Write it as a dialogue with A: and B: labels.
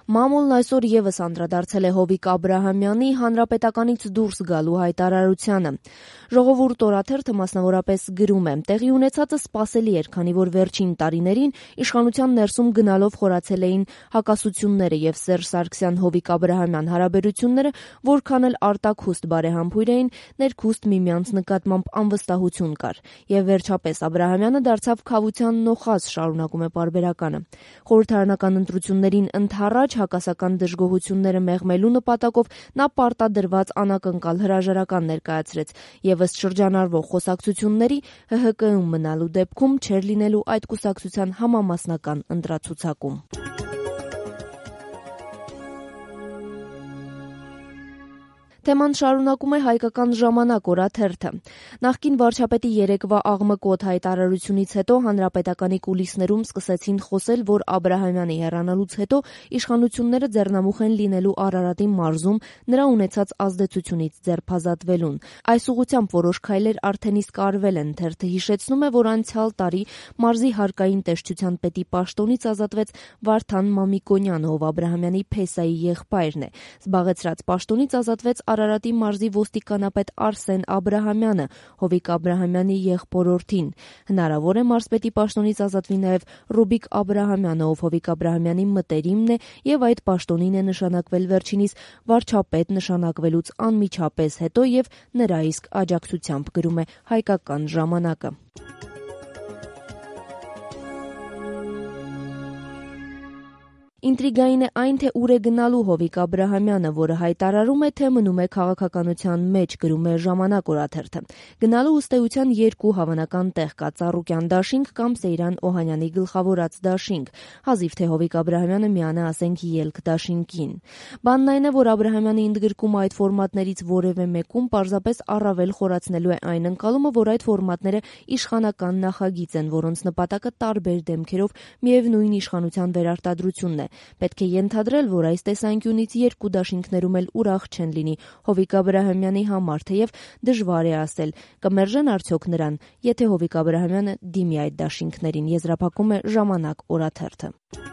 A: Մամուլն այսօր եւս անդրադարձել է Հովիկ Աբրահամյանի հանրապետականից դուրս գալու հայտարարությանը։ Ժողովուրդ օրաթերթը մասնավորապես գրում է. տեղի ունեցածը սպասելի էր, քանի որ վերջին տարիներին իշխանության ներսում գնալով խորացել էին հակասությունները եւ Սերժ Սարգսյան-Հովիկ Աբրահամյան հարաբերությունները, որքան էլ արտաքուստ բարեհամբույր էին, ներքուստ միմյանց նկատմամբ անվստահություն կար։ Եվ վերջապես Աբրահամյանը դարձավ քավության նոխազ, շարունակում է պարբերականը։ Խորհրդարանական ընտրություններին ընդառաջ հակասական դժգոհությունները մեղմելու նպատակով նա պարտադրված անակնկալ հրաժարական ներկայացրեց եւ ըստ շրջանառվող խոսակցությունների ՀՀԿ-ում մնալու դեպքում չէր լինելու այդ կուսակցության համամասնական ընտրացուցակում։ Թեման շարունակում է հայկական ժամանակ օրաթերթը։ Նախկին վարչապետի երեկվա աղմկոտ հայտարարությունից հետո հանրապետականի կուլիսներում սկսեցին խոսել, որ Աբրահամյանի հեռանալուց հետո իշխանությունները ձեռնամուխ են լինելու Արարատի մարզում նրա ունեցած ազդեցությունից ձերբազատվելուն։ Այս ուղղությամբ որոշ քայլեր արդեն իսկ արվել են։ Թերթը հիշեցնում է, որ անցյալ տարի մարզի հարկային տեսչության պետի պաշտոնից ազատվեց Վարդան Մամիկոնյանը, ով Աբրահամյանի փեսայի եղբայրն է։ Զբաղեցրած պաշտոնից ազատվեց Արարատի մարզի ոստիկանապետ Արսեն Աբրահամյանը, Հովիկ Աբրահամյանի եղբորորդին։ Հնարավոր է մարզպետի պաշտոնից ազատվի նաև Ռուբիկ Աբրահամյանը, ով Հովիկ Աբրահամյանի մտերիմն է եւ այդ պաշտոնին է նշանակվել վերջինիս վարչապետ նշանակվելուց անմիջապես հետո եւ նրա իսկ աջակցությամբ, գրում է հայկական ժամանակը։ Ինտրիգային է այն, թե ուր է գնալու Հովիկ Աբրահամյանը, որը հայտարարում է, թե մնում է քաղաքականության մեջ, գրում է ժամանակ օրաթերթը։ Գնալու ըստ էության երկու հավանական տեղ կա՝ Ծառուկյան դաշինք կամ Սեյրան Օհանյանի գլխավորած դաշինք, հազիվ թե Հովիկ Աբրահամյանը միանա, ասենք, ելք դաշինքին։ Բանն այն է, որ Աբրահամյանի ընդգրկումը այդ ֆորմատներից որևէ մեկում պարզապես առավել խորացնելու է այն ընկալումը, որ այդ ֆորմատները իշխանական նախագիծ են, որոնց նպատակը տարբեր դեմքերով միևնույն իշխանության վերարտադրությունն է։ Պետք է ենթադրել, որ այս տեսանկյունից երկու դաշինքներում էլ ուրախ չեն լինի Հովիկ Աբրահամյանի համար, թեև դժվար է ասել, կմերժեն արդյոք նրան, եթե Հովիկ Աբրահամյանը դիմի այդ դաշինքներին, եզրափակում է ժամանակ օրաթերթը։